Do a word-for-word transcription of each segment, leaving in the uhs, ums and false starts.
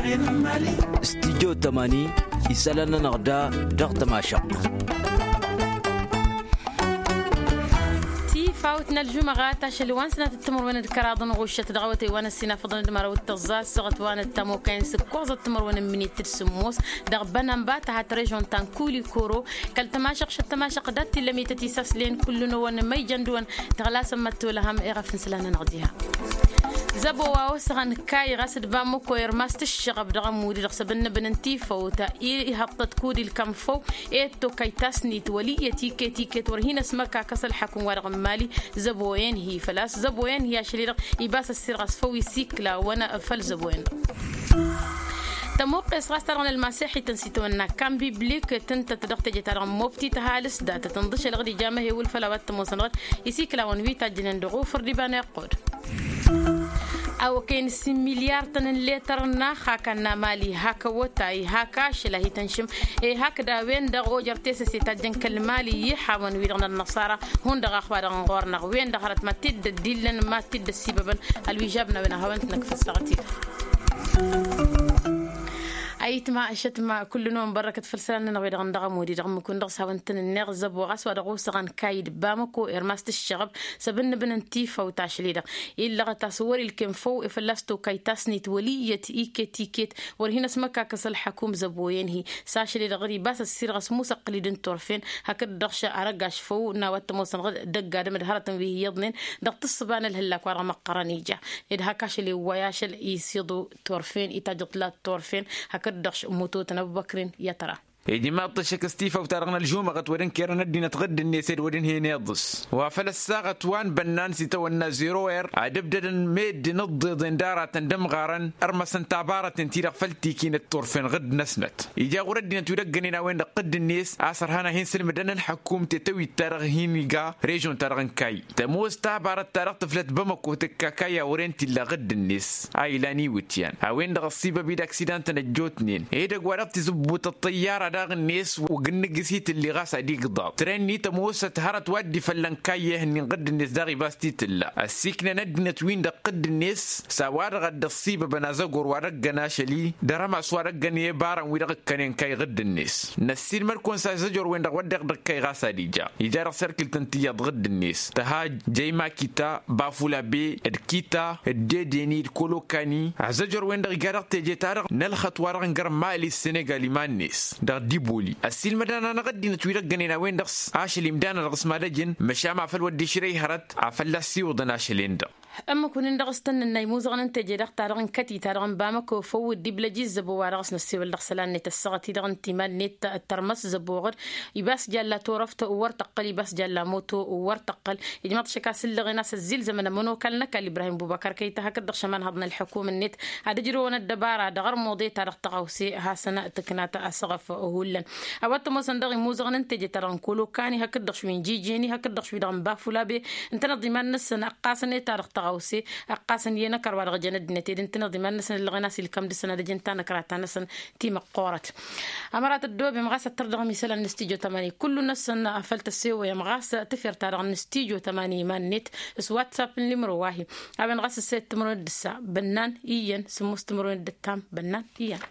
Stijjo tămani isălan-nănăɣ da dăɣ-tămašăɣt. Tifawt n-ălžumăɣa tašăl wa n-sănatăt timărwen d-kăraḍ n-ɣuššăt dăɣ-awătay wa n-ăssinafăḍăn d-măraw d-tăẓẓa s-săɣăt wa n-ăttămokăyăn s-ǝkkoẓăt timărwen n-minit d-sǝmmos dăɣ-bănănba tăhat režon ta n-kulikoro kăl-tămašăɣ šăt tămašăɣ dat-t-illa ămităt isaslen kull-năwăn ma ijăn dăɣ-wăn. Tăɣlasăn măttolăhăm iɣăf n-isălan-nănăɣ diha. Zăbo wa osăɣăn kay ɣas d-bamăko irmas tǝššăɣăb dăɣ-ămmudi dăɣ-săb ǝnnǝbǝn n-tifăwt ihăṭṭăt kud-ilkăm făw. Ed tokay tasnit wăl' iyyăt iket iket wăr hin-ăsmăkakăs ălḥăkum-wa-dăɣ n-imali. Zăbo-en hi-făl-a-s zăbo-en hi-ašăl-i-dăɣ ibas ăssirɣăs făw isikla wăn făll-zăbo-en-dăɣ. Tămuqqes ɣas ta-dăɣ n-ălmaseḥităn s-itawănna kan biblik tǝntăt dăɣ-teje-ta-dăɣ n-mobti tăhalǝs datăt ǝnḍǝšăl ɣǝd ijamăhe wǝlfăl a-wa t-ămoosăn ɣǝd isikla wăn wi tajjănen dăɣ-ufǝr d-iba n-iqqud. Awăkăyăn s-immilyar-tăn n-letăr-năɣ hak ănnamali hak ăwwătay hak ašăl a hi-tăn-šǝm. E hakd a-wen-dăɣ ojăr tesăse tajjăn kăl-mali iyyăḥawăn-wi-dăɣ n-ănnăṣara hundăɣ a-wa-dăɣ n-ɣur-năɣ wen-dăɣ hărăt ma t-dd-ăddillăn ma t-dd-ăssibăbăn. Ălwižab n-a-wen a hawăn-t-năkk făssăɣăt-dd. Ayǝtma ăššătma kull-năwăn bărrăkăt făll-isălan-nănăɣ wi-dăɣ n-dăɣ ămudi dăɣ-ǝmmǝk-win-dăɣ s-hawăn-t-nǝnneɣ zăbo ɣas wa dăɣ-osăɣăn kayǝd bamăko irmas tǝššăɣăb. Săb ǝnnǝbǝn n-tifăw tašli-dăɣ illăɣăt a-s wăr-ilkem făw i-fălla-s tokay tasnit wăl' iyyăt iket-iket. Wăr hin-ăsmăkakăs ălḥăkum zăbo-en-hi s-ašăl-i-dăɣ ɣǝr-i bas ăssirɣăs musăqqǝl-dd n-turfen. Hakd-dăɣ šăr arăgaš făw n-a-wa t-ămoosăn ɣǝd dăgg-adǝm d-hărătăn wi hi-iyyăḍnen dăɣ-tǝssǝba n-ălhǝllak wa dăɣ-măqqărăn ija. Ed hak ašăl iwway ašăl isiḍu turfen itajjăḍ tǝla turfen. Hakd-dăɣ š-mutotăn ăbubăkrin i-ad-tăra. Ijmaḍ-t ăššăk s-tifawt-ta-dăɣ n-ălžumăɣăt wăr ǝnkerăn ăddinăt ɣǝdd-net ed wăr ǝnhăyăn iḍǝs wa făl ăssaɣăt wa n-bănnan s-itawănna zero er ad-ǝbdădăn meddǝn ǝḍḍeḍen d-aratăn d-ămɣarăn. Ărmăsăn tabarăten-ti-dăɣ făll-tikinăt turfen ɣǝdd-năsnăt ija ɣur-ăddinăt wi dăgg-ănen a-wen-dăɣ ɣǝdd-net a-s ărhan ad-hin-sǝlmǝdăn ălḥăkkum tetăwit-ta-dăɣ hin-iga režon-ta-dăɣ n-kayy. Tămoos tabarăt-ta-dăɣ tǝflăt bamăko tǝkka kayy a wăren t-illa ɣǝdd-net a ilan iwǝtyan a-wen-dăɣ ăṣṣibăb-dd aksidantăn ăjjootnen edăgg wa dăɣ-tizǝbbut ăṭṭăyyara daɣ-net. Ugǝnnǝg-s itǝlli ɣas ad-igḍaḍ tren-ni tămoosăt hărăt wa dd-ifăllăn kayy ehǝnnin ɣǝdd-net daɣ ibas t-tǝlla ăssiiknăn ăddinăt-win-dăɣ ɣǝdd-net. S-a-wa-dăɣ a dd-ăṣṣibăbăn azăgor wa dăgg-ănn ašăl-i dăr-ămas wa dăgg-ănn i-ebarăn-wi-dăɣ ǝkkănen kayy ɣǝdd-net. Năssiilmăd-kăwăn s-azăjor-wen-dăɣ wădden dăgg-kayy ɣas ad-ija ija dăɣ-serkǝlt n-tiyyăḍ ɣǝdd-net tăhaj jăyma kita bafulabe d-kita d-dedeni d-kolokani. Azăjor-wen-dăɣ ija dăɣ-teje-ta-dăɣ n-ălxăṭṭ wa dăɣ-n gărmali s-senegal iman-net dăɣ-diboli ăssiilmăd-anăɣ ăddinăt wi dăgg-ănnin a-wen-dăɣ s-ašăl imdan-dăɣ s-mad-ăjǝn măšan ma făl wădden išrăy hărăt. Afălla ăssiwǝḍăn ašăl-en-dăɣ. Ǝmmǝk-wǝnnin-dăɣ s-tăn-nǝnnă imuzăɣăn n-teje daɣ-ta-dăɣ n-kătita-dăɣ n-bamăko făw dd-iblăj i-zăbo wa dăɣ-s năssewăl dăɣ-isălan-net ăssaɣăt-i-dăɣ n-timan-net. Tărmăs zăbo ɣǝd ibas jalla turăft wăr tăqqăl ibas jalla moto wăr tăqqăl. Ijmaḍ-t ašăk a-s ǝllăɣen a-s ăzzilzămăn ămănokal n-ăkall ibrahim bubăkăr kăy-ta hakd-dăɣ šăman haḍăn ălḥăkum-net ad-ǝjrǝwăn ăddăbara dăɣ-ărmuḍe-ta-dăɣ tăɣawse hasăn-tǝknat asăɣăf. Hullan a-wa t-ămoosăn daɣ imuzăɣăn n-teje-ta-dăɣ n-kolokani hakd-dăɣ šwi n-jijeni hakd-dăɣ šwi-dăɣ n-bafulabe. Ǝntăneḍ iman-năsăn ăqqasăn i-ta-dăɣ tăɣawse ăqqasăn i-inăkăr wa dăɣ-jăn ăddinăt ed ǝntăneḍ iman-năsăn ǝllăɣen a-s ilkăm dăr-săn ad-ăjǝn tanăkra ta-năsăn timăqqoorăt. Ămărat ăddoobem ɣas ăttăr dăɣ-amisălan n-studyo tămani kullu-năsăn făl tăsewăyăm ɣas tǝfer-ta-dăɣ n-studyo tămani iman-net s-whatsapp n-limro wa-hi. A-wen ɣas ǝssed timǝrwen d-ǝssa bănnan iyyăn sǝmmos timǝrwen d-ǝttam bănnan iyyăn.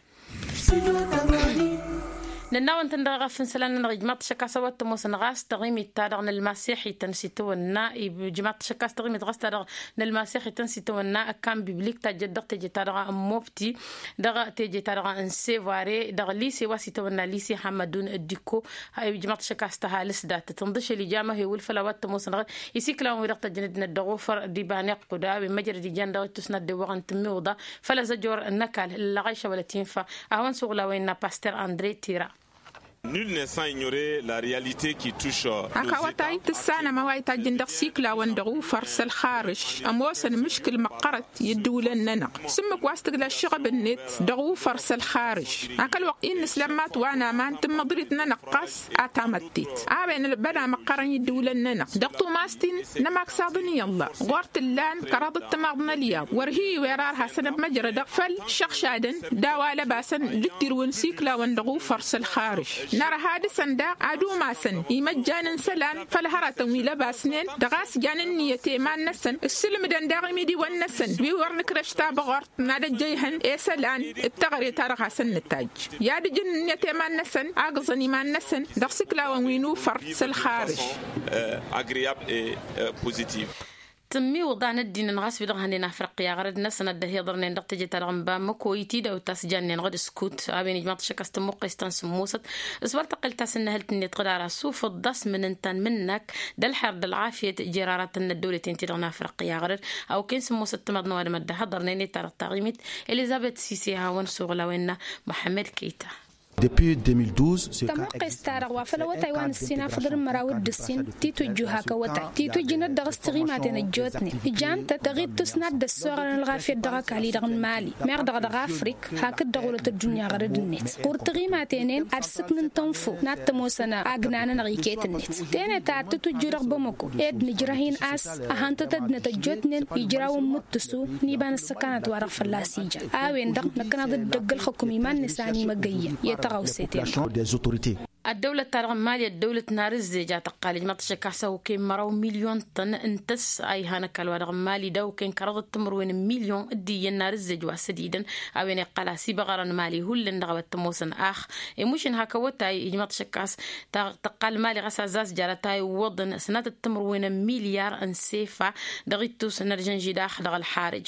Nănn'-awăn-tăn dăɣ-eɣăf n-isălan-nănăɣ ijmaḍ-t ašăk a-s a-wa t-ămoosăn ɣas taɣimit-ta-dăɣ n-ălmasex-ităn s-itawănna ijmaḍ-t ašăk a-s taɣimit ɣas ta-dăɣ n-ălmasex-ităn s-itawănna ăkkan biblik tajjăt dăɣ-teje-ta-dăɣ n-mobti dăɣ-teje-ta-dăɣ n-sevare dăɣ-lise wa s-itawănna lise hammădun. Dikko ijmaḍ-t ašăk a-s tăhalǝs dat-tăt ǝnḍǝšăl ija amăhewǝl făll-a-wa t-ămoosăn ɣas isiklawăn-wi-dăɣ tăjjăn ăddinăt dăɣ-ofăr d-iba n-iqqud a-wen măjrăd ijan dăɣ-ittus n-ad-dewwăɣăn tǝmmiwǝḍa făll-azăjor n-ăkall ǝllăɣayša wăla tinfa. A hawăn-suɣǝl a-wa innă paster andre tira. Nul ne san ignorer la realite ki tuš. Hak awătay tǝssanăm a-wa itajjǝn dăɣ-siklawăn dăɣ-ufăr s-ălxarǝš ămoosăn mǝškǝl măqqărăt i-ǝddǝwǝlăn-nănăɣ s-ǝmmǝk wa s-tǝgla ăššăɣăb-net dăɣ-ufăr s-ălxarǝš. Hak ălwăqq-i n-nǝslămmat wa n-aman tǝmmǝḍrit-nănăɣ ɣas a tamăttet a-wen ălbăna măqqărăn i-ǝddǝwǝlăn-nănăɣ dăɣ-tumaẓt-in n-ămaksaḍ n-iyyălla ɣur-t ǝllan kăraḍ d-timaḍ n-ălyaw wăr hi-iwera ar hasăn-ămmăjrădăɣ făll-išăɣšadăn d-a-wa lăbasăn d-ǝttirǝwăn siklawăn dăɣ-ufăr s-ălxarǝš. Nărha dăɣ-săn daɣ ad-umasăn imăjjan n-isălan făll-hăratăn wi lăbasnen dăɣ-a-s jan ǝnniyăt i-iman-năsăn ǝssǝlmǝdăn daɣ imidiwăn-năsăn wi wăr nǝkrăš tabăɣort n-ad-ăjjăyhăn i-isălan d-teɣăre-ta-dăɣ hasăn-nǝtajj i-ad-ǝjǝn ǝnniyăt i-iman-năsăn agǝẓăn iman-năsăn dăɣ-isǝklawăn wi n-ufăr s-ălxarǝj. Tǝmmiwǝḍan ăddinăn ɣas wi-dăɣ hănen afrăqqi aɣrăd-năsăn a dd-ăhiḍărnen dăɣ-teje-ta-dăɣ n-bamăko itidawt ta s-jannen ɣǝd-ǝskut a-wen ijmaḍ-t ašăk a-s tămmuqqes ta n-sǝmmosăt s-wăr tăqqel tasǝnnăhǝlt-net ɣǝd ara sufǝḍ d-asmǝn ǝnta n-imǝnnak d-ălxer d-ălɣafyăt jer-aratăn n-ăddăwlăten-ti-dăɣ n-afrăqqi aɣrăd. A okăyăn sǝmmosăt timaḍ n-ăwadǝm a dd-ăhiḍărnen i-ta-dăɣ taɣimit elizăbet sise hawăn-suɣǝl a-wen n-muḥămmăd kăyta. Tămmuqqes-ta-dăɣ wa făll-awătay wa n-ǝssin afăḍăn n-măraw d-ǝssin titujju hak awătay titujjǝnăt dăɣ-s tiɣimaten ăjjootnen ǝjan-tăt dăɣ-ittus n-ad-dd-ăssoɣălăn ălɣafyăt dăɣ-ăkall-i-dăɣ n-imali meɣ dăɣ-dăɣ afrik hakd dăɣ-wălăt ăddunya ɣărăd-net ɣur-tiɣimaten-en ad-sǝknǝn tănfo n-ad-t-ămoosăn agna-nănăɣ iket-net tenăt ad-tǝtwǝjju dăɣ-bamăko ed nǝjrăh-in a-s ăhăn-tăt ăddinăt ăjjootnen ijraw n-imǝttǝsu n-iba n-ǝssăkanăt wa-dăɣ fălla-s ija a-wen-dăɣ năkkăneḍ-dd dăgg-ǝlxǝkum iman-net a ănimăgăyyăn i-tăɣawse-ten-dăɣ. Ăddăwlăt-ta-dăɣ n-imali ăddăwlăt n-arǝzzej a tăqqal ijmaḍ-t ašăk a-s a okăyăn măraw milyon-tăn n-tăss a ihan ăkall-wa-dăɣ n-imali d-a okăyăn kăraḍăt timǝrwen n-milyon d-iyyăn n-arǝzzej wa s-ădidăn a-wen iqqăl a-s ibăɣărăn imali hullan dăɣ-a-wa t-ămoosăn ax i-mušǝn hak awătay ijmaḍ-t ašăk a-s tăqqal imali ɣas azzaz jarăt a iwwăḍăn sănatăt timǝrwen n-milyar n-sefa dăɣ-ittus n-ărjănži daɣ dăɣ-ălxarǝj.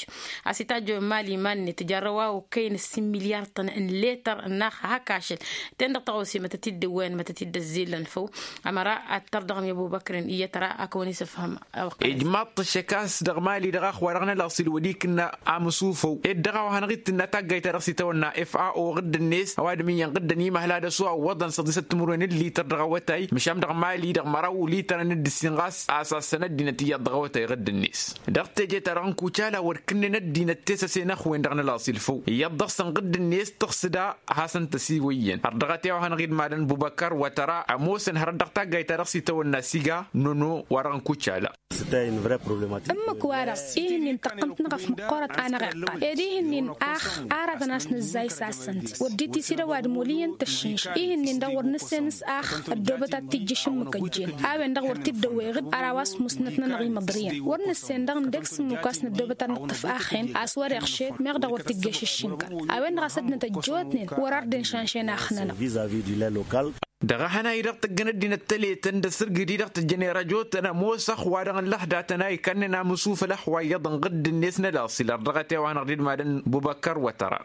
A-s itajj imali iman-net jarrăw a okăyăn ǝssin milyar-tăn n-letăr n-ax hak ašăl ten-dăɣ tăɣawse mătăt-dd-ǝwwăyăn mătăt-dd-ăzzillăn făw. Ămăra ad-tărdăɣăm i-ăbubăkr n-iyyăt ra ad-kăwăn-isǝfhăm a-wăqq. Ijmaḍ-t ăššăk a-s dăɣ-mali dăɣ-ax wa dăɣ-nălaṣil wăr ikǝnna amǝsufăw ed dăɣ-a-wa hanăɣ-itǝnna taggayt-ta-dăɣ s-itawănna f a o ɣǝdd-net ăwadǝm iyyăn ɣǝddăn imăhla d-ăsu a ǝwwăḍăn săḍisăt timǝrwen n-lităr dăɣ-awătay măšan dăɣ-mali dăɣ-măraw litărăn d-ǝssin ɣas a-s assăn ăddinăt iyyăḍ dăɣ-awătay ɣǝdd-net. Dăɣ-teje-ta-dăɣ n-kucala wăr kǝnnen ăddinăt tesăse n-ăxwen dăɣ-nălaṣil făw iyyăḍ dăɣ-săn ɣǝdd-net tăɣsǝd a hasăn-tăsiwăyyăn ărdăɣăt i-a-wa hanăɣ-idmadăn bubăkăr wătăra ămoosăn hărăt dăɣ-taggayt-ta-dăɣ s-itawănna siga nono wa dăɣ-nǝkucala. Ǝmmǝk-wa-dăɣ ihǝnnin tăqqǝmt-năɣ ăf măqqoorăt a năɣ-iqqal ed ihǝnnin ax aratăn a-s nǝzzay s-assăn-t wăr dd-tisid ăwadǝm wăl' iyyăn tăššǝnš ihǝnnin-dăɣ wăr nǝssen s-ax ăddoobăt ad-t-ijjǝš ǝmmǝk ăjjeen a-wen-dăɣ wăr t-dd-ăwwey ɣǝd ăra wa s-musnăt-nănăɣ imǝḍrǝyăn wăr nǝssen dăɣ-nǝdek s-ǝmmǝk wa s-năddoobăt ad-nǝṭṭǝf axen a-s wăr-iɣšed meɣ dăɣ-wăr t-ijjăš ǝššǝnkăn a-wen-dăɣ a-s ăddinăt ăjjootnen wăr-ar dd-inšanšen axnănăɣ. Dăɣ-ehăn a-i-dăɣ tăjjăn ăddinăt tăletăn d-asǝrgǝd-i-dăɣ tăjjăn i-rajotăn ămoos ăxwa-dăɣ n-lăhdatăn a ikannen amǝsufăl ăxwa iyyăḍ n-ɣǝdd-net n-ălaṣil ărdăɣăt i-a-wa hanăɣ-dd-idmadăn bubăkkăr wătăra.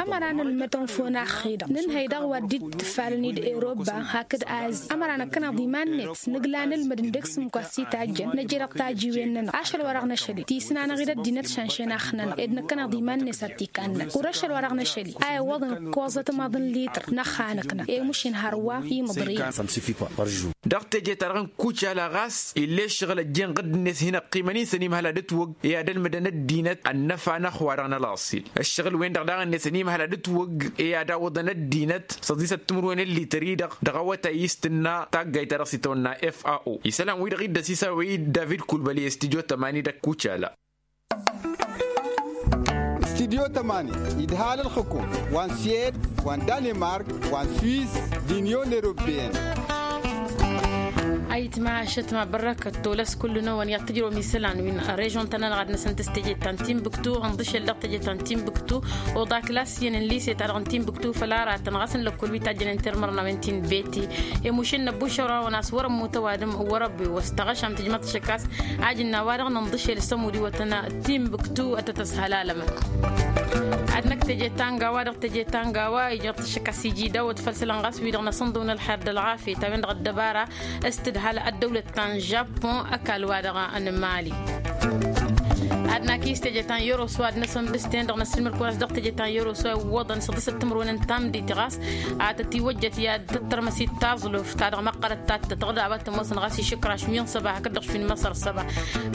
Ămăra nǝlmăd tănfon axxi-dăɣ nǝnhăy dăɣ-wa dd-tǝffalăn-dd eroba hakd azi ămăra năkkăneḍ iman-net nǝgla nǝlmăd ǝndek s-ǝmmǝk wa s-itajjăn năjrăɣ tajiwen-nănăɣ ašăl wa dăɣ-năšăl-i tisǝnanăɣ-dd ăddinăt šanšen axnănăɣ ed năkkăneḍ iman-net ad-t-ikannăn wăr-ašăl wa dăɣ-năšăl-i a iwwăḍăn ǝkkoẓăt maḍ n-lităr n-ăxxanăknăɣ i-mušin hărwa imǝḍrǝyăn. Dăɣ-teje-ta-dăɣ n-kucala ɣas ill'-e ǝššăɣǝl ăjjeen ɣǝdd-net hin-ăqqimăn-in săn imhăla d-ǝtwăgg i-ad-ălmǝdăn ăddinăt ănnăfa n-ăxwa dăɣ-nălaṣil ǝššăɣǝl-wen-dăɣ daɣ-net săn imhăla d-ǝtwăgg i-ad-awǝḍăn ăddinăt săḍisăt timǝrwen n-lităr-i-dăɣ dăɣ-awătay i-s tǝnna taggayt-ta-dăɣ s-itawănna f a o isălan-wi-dăɣ iddăs isawăy-dd david kulbăli s-tijo tămani dăɣ-kucala. Studyo tămani idhal ǝlxǝkum wa n-siyed wa n-danemark wa n-swiss d-inyon europeyăn. Ayǝtma ašătma bărrăkăt tolăs kull-năwăn i-ad-tǝjrăwăm isălan wi n-režon-tăn-ănɣad-năsăn tăs teje ta n-timbuktu ǝnḍǝšel dăɣ-teje ta n-timbuktu oḍa klass iyyăn n-lise-ta-dăɣ n-timbuktu făll-aratăn ɣas n-lăkkol wi tajjănen tirmărnawen ti n-beti. Emušǝl n-ăbbušăr-awăn a-s wăr-ămmut ăwadǝm wăr-ăbbu wăr-s tăɣăšam tǝjmăḍ tišăkkas ajǝnna a-wa-dăɣ nǝnḍǝšel s-ămud iwătăn timbuktu ad-tăt-ăshalalămăn. Ad-năkk teje ta n-gawa dăɣ-teje ta n-gawa ijmăḍ tišăkkas iji dawăt făll-isălan ɣas wi-dăɣ năsănḍăw n-ălxer d-ălɣafyăt a-wen-dăɣ ăddăbara s-tǝdhal ăddăwlăt ta n-žapun ăkall-wa-dăɣ n-mali. Ad-nakǝy s-teje ta n-yăroso ad-năsănbǝs-ten-dăɣ năssilmăd-kăwăn a-s dăɣ-teje ta n-yăroso a iwwăḍăn săḍisăt timǝrwen n-tamdit ɣas a tăt-iwăjjăt i-ad-tăttărmăsit taẓluf ta dăɣ-măqqărăt ta t-tătăɣ d-a-wa t-ămoosăn ɣas išǝkraš wi n-săba hakd-dăɣ šwi n-măsăr săba.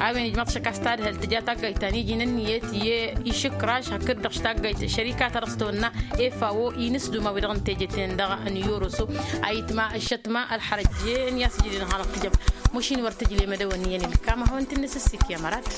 A-wen ijmăḍ šăkkas tadhălt tǝja taggayt ta n-iji n-ǝnniyăt i-išǝkraš hakd-dăɣ taggayt šărika ta dăɣ-s tăwănna efăwo inǝsduma wi-dăɣ n-teje-ten-dăɣ n-yoroso. Ayǝtma ǝššătma ălxărăjje n-i-a-s ǝjǝdǝn hanăɣ-tǝjăm. Măšin wăr tǝjle mădăwăn iyyăn ǝlkam ad-hawăn-t-in-nǝsǝssǝk i-amărat.